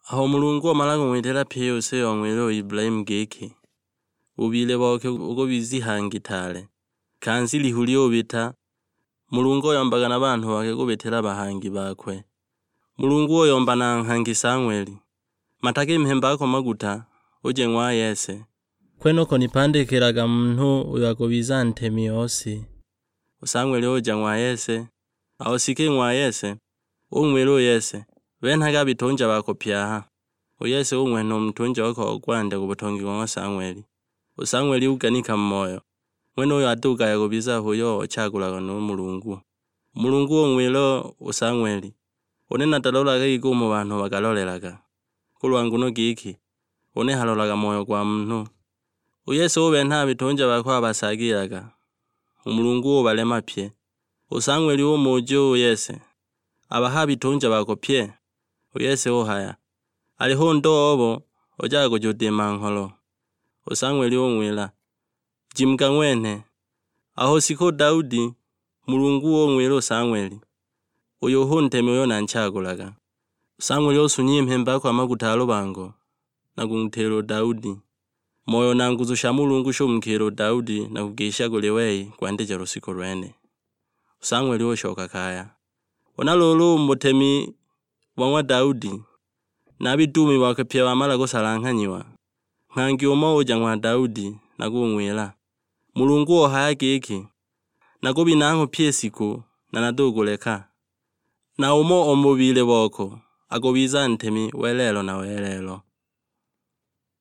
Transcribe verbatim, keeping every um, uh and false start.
Aho Mulungu omala kung'witila pyi use ong'wila u Ibulahimu giki, ubile boke ukubiza ihangi taale, kansi lihu lyubita, Mulungu oyombaga na banhu bake kubitila bahangi bakwe. Mulungu oyomba na nghangi sa ng'weli, matake mhemba ako maguta, uje ng'wa Yese. Kwenoko nipandikilaga munhu uyo akubiza ntemi o si. U Sang'weli uja ng'wa Yese. Aho sike ng'wa Yese, ung'wila u Yese, benhaga a bitunja bako pye aha. U Yese ung'wenha u mutunja okwe o kwandya ku butongi go ng'wa Sang'weli. U Sang'weli uganika mu moyo, ng'wenuyo atugaya kubiza h'uyo ochagulagwa nu Mulungu. U Mulungu ung'wila u Sang'weli, une natalolaga giko umo banhu bakalolelaga, kulwa nguno giki, une halolaga moyo gwa munhu. U Yese ubenha a bitunja bakwe abasaagilaga, u Mulungu ubalema pye. U Sang'weli umuja u Yese, abaha a bitunja bako pye? U Yese uhaya, aliho undo obo ojaga kujudima ngholo. U Sang'weli ung'wila, jimuga ng'wenhe. Aho sika u Daudi, Mulungu ung'wila u Sang'weli, uyu hu ntemi uyo nanchagulaga. U Sang'weli usunya i mhemba yakwe a maguta a lubango, na kung'witila u Daudi. Moyo na nguzu sha Mulungu shumukiila u Daudi na kugisha kuli wei kwandija lushiku lwene. U Sang'weli ushoka kaya. Huna luulu u mu butemi bo ng'wa Daudi, na a biduumi bakwe pye bamala kusalanghanyiwa, nghangi umo uja ng'wa Daudi na kung'wila, Mulungu ohaya giki, nakubinangho pyi i shiku, na natukuleka. Na umo o mu bubile boko akubiza ntemi welelo na welelo.